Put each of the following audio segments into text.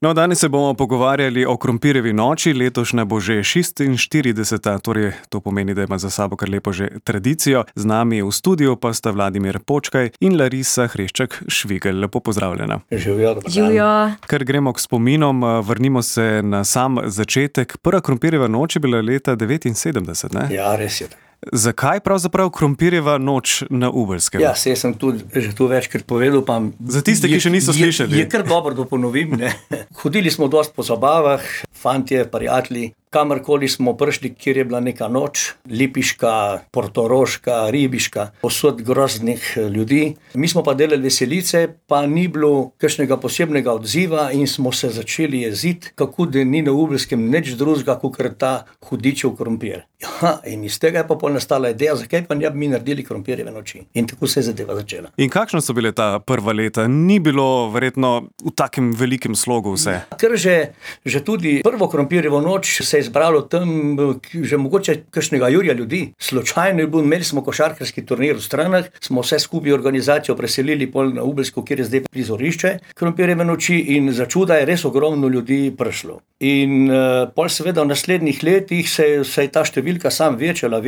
No, danes se bomo pogovarjali o krompirjevi noči, letošnja bo že 46. Torej to pomeni, da ima za sabo kar lepo že tradicijo. Z nami v studiu pa sta Vladimir Počkaj in Larisa Hrešček-Švigelj. Lepo pozdravljena. Živijo. Ker gremo k spominom, vrnimo se na sam začetek. Prva krompirjeva noč je bila leta 79, ne? Ja, res je. Zakaj pravzaprav krompirjeva noč na Ubelskem? Ja, saj sem tudi že tu večkrat povedal, pa za tiste, ki še niso slišali. Je kar dobro, da ponovim, ne. Hodili smo dosti po zabavah, fantje, prijatelji. Kamorkoli smo prišli, kjer je bila neka noč, lipiška, portoroška, ribiška, posod groznih ljudi. Mi smo pa delali veselice, pa ni bilo kakšnega posebnega odziva in smo se začeli jeziti, kako da ni na Ubelskem nič drugega, kakor ta hudičev krompir. Ja, in iz tega je pa pol nastala ideja, zakaj pa ne bi mi naredili krompirjeve noči. In tako se je zadeva začela. In kakšno so bile ta prva leta? Ni bilo verjetno v takem velikem slogu vse. Ker že tudi prvo krompirjevo noč se je zbralo tam že mogoče kakšnega jurja ljudi. Slučajno je bil, imeli smo košarkarski turnir v Stranah, smo vse skupaj organizacijo preselili pol na Ubelsko, kjer je zdaj prizorišče krompirjeve noči, in za čuda je res ogromno ljudi prišlo. In pol seveda v naslednjih letih se je ta številka sam večala.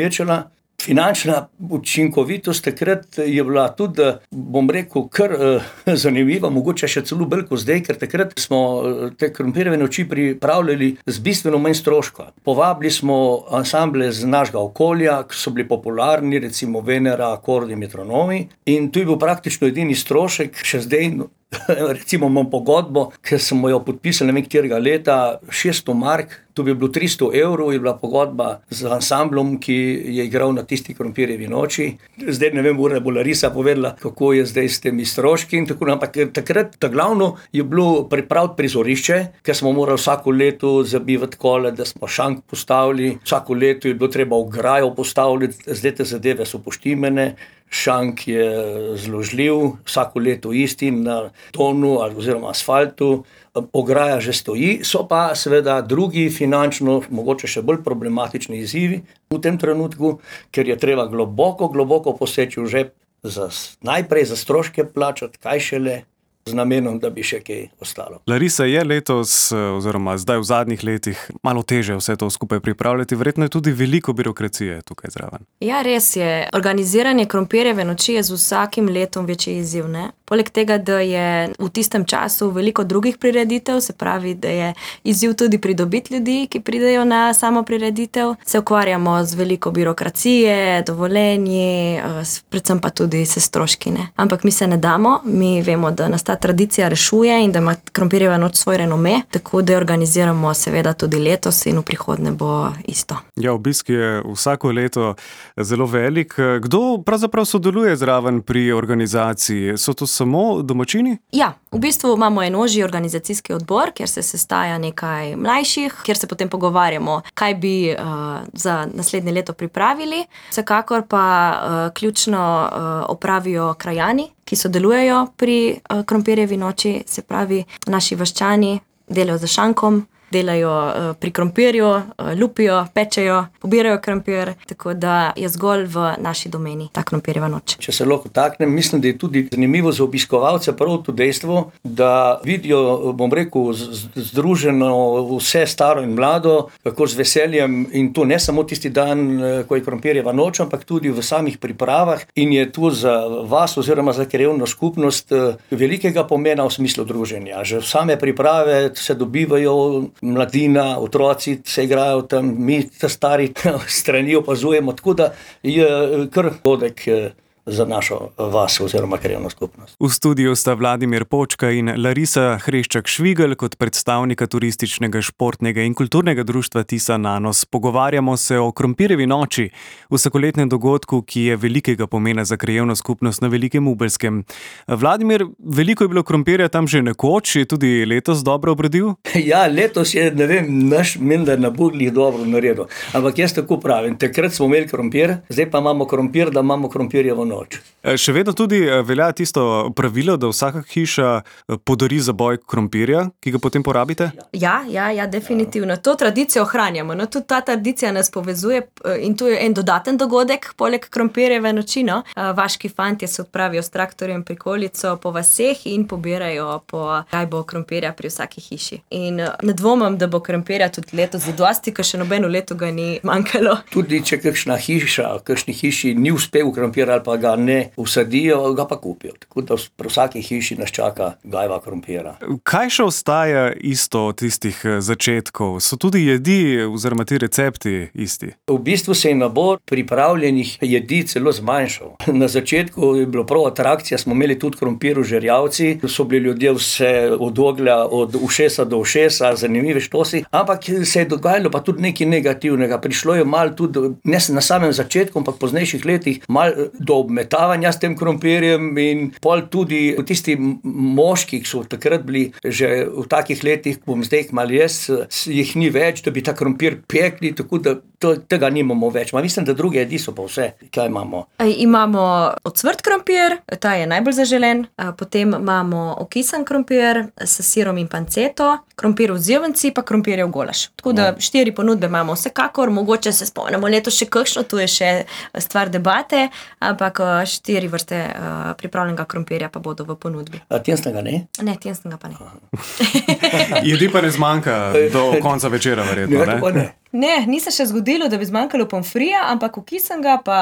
Finančna učinkovitost takrat je bila tudi, bom rekel, kar zanimiva, mogoče še celo bolj kot zdaj, ker takrat smo te krompirjeve noči pripravljali z bistveno manj stroška. Povabili smo ansamble z našega okolja, ki so bili popularni, recimo Venera, Akordi, Metronomi, in tu je bil praktično edini strošek, še zdaj, recimo imam pogodbo, ker smo jo podpisali ne vem katerega leta, 600 mark, to bi bilo 300 evrov, je bila pogodba z ansamblom, ki je igral na tisti krompirjevi noči. Zdaj ne vem, bo Larisa povedala, kako je zdaj s temi stroški in tako, ampak takrat ta glavno je bilo pripraviti prizorišče, ker smo morali vsako leto zabivati kole, da smo šank postavili, vsako leto je bilo treba ograjo postaviti, zdaj te zadeve so poštimene. Šank je zložljiv, vsako leto isti na tonu oziroma asfaltu, ograja že stoji, so pa seveda drugi finančno, mogoče še bolj problematični izzivi v tem trenutku, ker je treba globoko poseči v žep, najprej za stroške plačati, kaj šele z namenom, da bi še kaj ostalo. Larisa, je letos, oziroma zdaj v zadnjih letih, malo teže vse to skupaj pripravljati, verjetno je tudi veliko birokracije tukaj zraven. Ja, res je. Organiziranje krompirjeve noči je z vsakim letom večji izziv, ne? Poleg tega, da je v tistem času veliko drugih prireditev, se pravi, da je izziv tudi pridobiti ljudi, ki pridejo na samo prireditev, se ukvarjamo z veliko birokracije, dovoljenji, predvsem pa tudi s stroški, ne? Ampak mi se ne damo, mi vemo, da nas ta tradicija rešuje in da ima krompirjeva noč svoj renome, tako da jo organiziramo seveda tudi letos in v prihodnje bo isto. Ja, obisk je vsako leto zelo velik. Kdo pravzaprav sodeluje zraven pri organizaciji? So to samo domačini? Ja, v bistvu imamo en ožji organizacijski odbor, kjer se sestaja nekaj mlajših, kjer se potem pogovarjamo, kaj bi za naslednje leto pripravili. Vsekakor pa ključno opravijo krajani, ki sodelujejo pri krompirjevi noči, se pravi naši vaščani delajo za šankom, delajo pri krompirju, lupijo, pečejo, pobirajo krompir, tako da je zgolj v naši domeni ta krompirjeva noč. Če se lahko taknem, mislim, da je tudi zanimivo za obiskovalce prav to dejstvo, da vidijo, bom rekel, združeno vse staro in mlado, kako z veseljem, in to ne samo tisti dan, ko je krompirjeva noč, ampak tudi v samih pripravah, in je tu za vas oziroma za krajevno skupnost velikega pomena v smislu druženja. Že v same priprave se dobivajo mladina, otroci se igrajo tam, mi ta stari strani opazujemo, tako da je kar dogodek za našo vas oziroma krajevno skupnost. V studiu sta Vladimir Počkaj in Larisa Hrešček-Švigelj kot predstavnika turističnega, športnega in kulturnega društva Tisa Nanos. Pogovarjamo se o krompirjevi noči, vsakoletnem dogodku, ki je velikega pomena za krajevno skupnost na Velikem Ubelskem. Vladimir, veliko je bilo krompirja tam že nekoč, je tudi letos dobro obrodil? Ja, letos je, ne vem, naš menda na Budlih dobro naredil. Ampak jaz tako pravim, takrat smo imeli krompir, zdaj pa imamo krompir, da imamo krompirjevo noč. noč. Še vedno tudi velja tisto pravilo, da vsaka hiša podari zaboj krompirja, ki ga potem porabite? Ja, definitivno. To tradicijo ohranjamo. No, tudi ta tradicija nas povezuje in tu je en dodaten dogodek, poleg krompirjeve noči. No. Vaški fantje se odpravijo s traktorjem prikolico po vaseh in pobirajo po gajbo krompirja pri vsaki hiši. In ne dvomim, da bo krompirja tudi letos zadosti, ker še nobeno leto ga ni manjkalo. Tudi če kakšna hiša, kakšni hiši ni uspel krompir ali pa ga ne usadijo, ga pa kupijo. Tako da pri vsaki hiši nas čaka gajba krompira. Kaj še ostaja isto od tistih začetkov? So tudi jedi oziroma ti recepti isti? V bistvu se je nabor pripravljenih jedi celo zmanjšal. Na začetku je bilo prav atrakcija, smo imeli tudi krompir v žerjavci, so bili ljudje vse od oglja, od ušesa do ušesa, zanimive štosi, ampak se je dogajalo pa tudi nekaj negativnega. Prišlo je malo tudi, ne na samem začetku, ampak poznejših letih, malo do obmetavanja s tem krompirjem in pol tudi tisti moški, ki so takrat bili že v takih letih, bom zdaj malo jaz, jih ni več, da bi ta krompir pekli, tako da tega nimamo več. Mislim, da druge jedi so pa vse. Kaj imamo? Imamo ocvrt krompir, ta je najbolj zaželen, potem imamo okisan krompir s sirom in panceto, krompir v zjevenci pa krompirjev golaž. Tako da 4 ponudbe imamo vsekakor, mogoče se spomnimo letos še kakšno, tu je še stvar debate, ampak 4 vrste pripravljenega krompirja pa bodo v ponudbi. A tjensnega ne? Ne, tjensnega pa ne. Jedi pa ne zmanjka do konca večera, verjetno, ne? Ne, ni se še zgodilo, da bi zmanjkalo pomfrija, ampak okisanega pa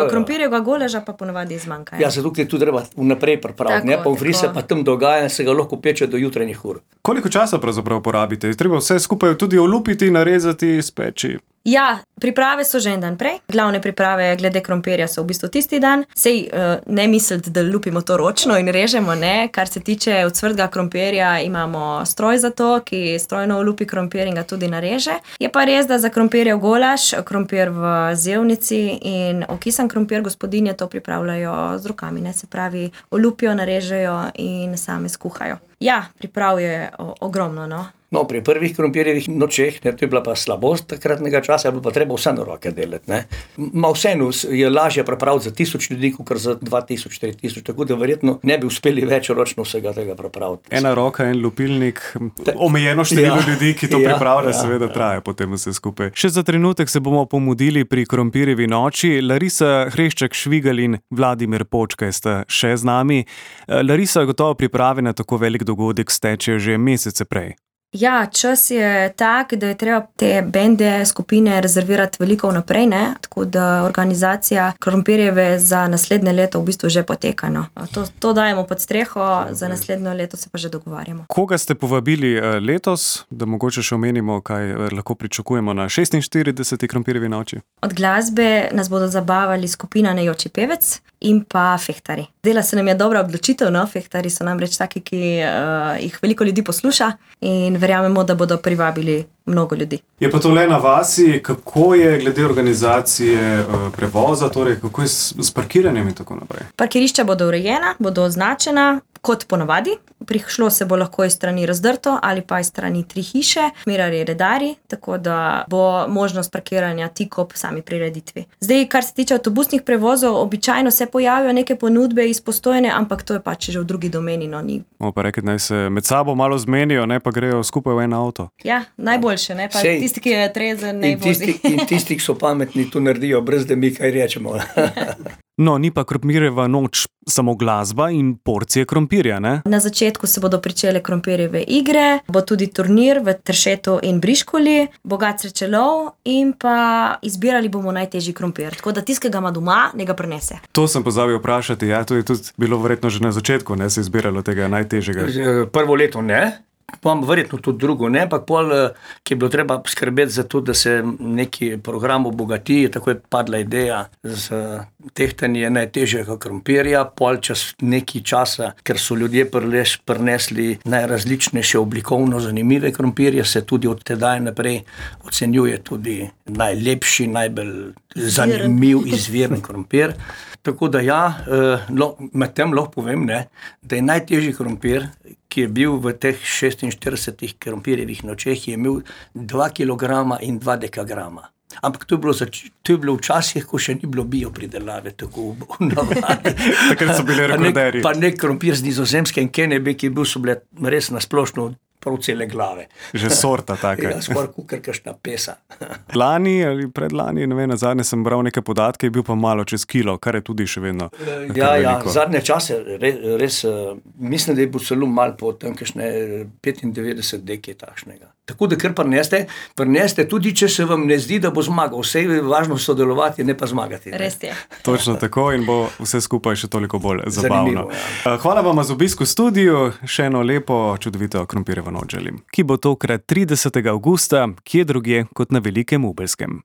krompirjevega golaža pa ponavadi zmanjka. Ja, zato je tudi treba vnaprej pripraviti, ne? Pomfrij se pa tam dogaja in se ga lahko peče do jutranjih ur. Koliko časa pravzaprav porabite? Treba vse skupaj tudi olupiti, narezati, speči? Ja, priprave so že en dan prej. Glavne priprave glede krompirja so v bistvu tisti dan. Sej ne misliti, da lupimo to ročno in režemo, ne. Kar se tiče ocvrtega krompirja, imamo stroj za to, ki strojno olupi krompir in ga tudi nareže. Je pa res, da za krompirjev golaž, krompir v zevnici in okisan krompir gospodinje to pripravljajo z rokami, ne. Se pravi, olupijo, narežejo in same skuhajo. Ja, priprav je ogromno, no. No, pri prvih krompirjevih nočeh, ne, to je bila pa slabost takratnega časa, je bilo pa treba vse na roke delati, ne. Vseeno je lažje pripraviti za 1000 ljudi, kot za 2000, 4000, tako da verjetno ne bi uspeli več ročno vsega tega pripraviti. Ena roka, en lupilnik, omejeno število ljudi, ki to pripravlja, seveda traja potem vse skupaj. Še za trenutek se bomo pomudili pri krompirjevi noči. Larisa Hreščak Švigalj in Vladimir Počkaj sta še z nami. Larisa, gotovo priprave na tako velik dogodek stečejo že mesece prej. Ja, čas je tak, da je treba te bende, skupine rezervirati veliko vnaprej, ne? Tako da organizacija krompirjeve za naslednje leto v bistvu že poteka, no. To dajemo pod streho, za naslednjo leto se pa že dogovarjamo. Koga ste povabili letos, da mogoče še omenimo, kaj lahko pričakujemo na 46. krompirjevi noči? Od glasbe nas bodo zabavali skupina Nejoči pevec in pa fehtari. Dela se nam je dobra odločitev, no, fehtari so namreč taki, ki jih veliko ljudi posluša in verjamemo, da bodo privabili mnogo ljudi. Je pa to le na vasi, kako je glede organizacije prevoza, torej kako je s parkiranjem in tako naprej? Parkirišča bodo urejena, bodo označena kot ponavadi. Prišlo se bo lahko iz strani Razdrto ali pa iz strani 3 hiše, smerarji, redarji, tako da bo možnost parkiranja tik ob sami prireditvi. Zdaj, kar se tiče avtobusnih prevozov, običajno se pojavijo neke ponudbe iz Postojne, ampak to je pač že v drugi domeni, no ni. Pa reketi, naj se med sabo malo zmenijo, ne pa grejo skupaj v en avto. Ja, najboljše, ne, pa tisti, ki je trezen, ne vozi. In tisti, ki so pametni, to naredijo, brez da mi kaj rečemo. No, ni pa krompirjeva noč samo glasba in porcije krompirja, ne? Na začetku se bodo pričele krompirjeve igre, bo tudi turnir v Tršetu in Briškoli, bogat srečelov in pa izbirali bomo najtežji krompir. Tako da tiskega ima doma, ne ga prinese. To sem pozabil vprašati, ja, to je tudi bilo verjetno že na začetku, ne, se izbiralo tega najtežjega. Prvo leto ne. Pa verjetno tudi drugo, ne, ampak pol, ki je bilo treba skrbeti za to, da se neki program obogati, tako je padla ideja z tehtanje najtežjega krompirja, pol čez nekaj časa, ker so ljudje prinesli najrazličnejše oblikovno zanimive krompirje, se tudi od tedaj naprej ocenjuje tudi najlepši, najbolj zanimiv izviren krompir. Tako da ja, med tem lahko povem, ne, da je najtežji krompir, ki je bil v teh 46 krompirjevih nočeh, je imel 2 kg in 2 dekagrama. Ampak to je bilo včasih, ko še ni bilo biopridelave, tako v navadi. Takrat so bili rekorderji. Pa nek krompir z Nizozemske in Kenebe, ki je bil, so bile res nasplošno prav cele glave. Že sorta taka. Ja, skoraj kukar kakšna pesa. Lani ali predlani, ne vem, nazadnje sem bral neke podatke, je bil pa malo čez kilo, kar je tudi še vedno Ja, zadnje čase res, mislim, da je bo celo malo po tam kakšne 95 dekaj takšnega. Tako da kar prineste, tudi če se vam ne zdi, da bo zmagal. Vse je važno sodelovati, ne pa zmagati. Res je. Točno tako in bo vse skupaj še toliko bolj zabavno. Zanimivo, ja. Hvala vam za obisk v studiu, še eno lepo, čudovito krompirjevo noč želim, ki bo tokrat 30. avgusta, kje drugje kot na Velikem Ubelskem.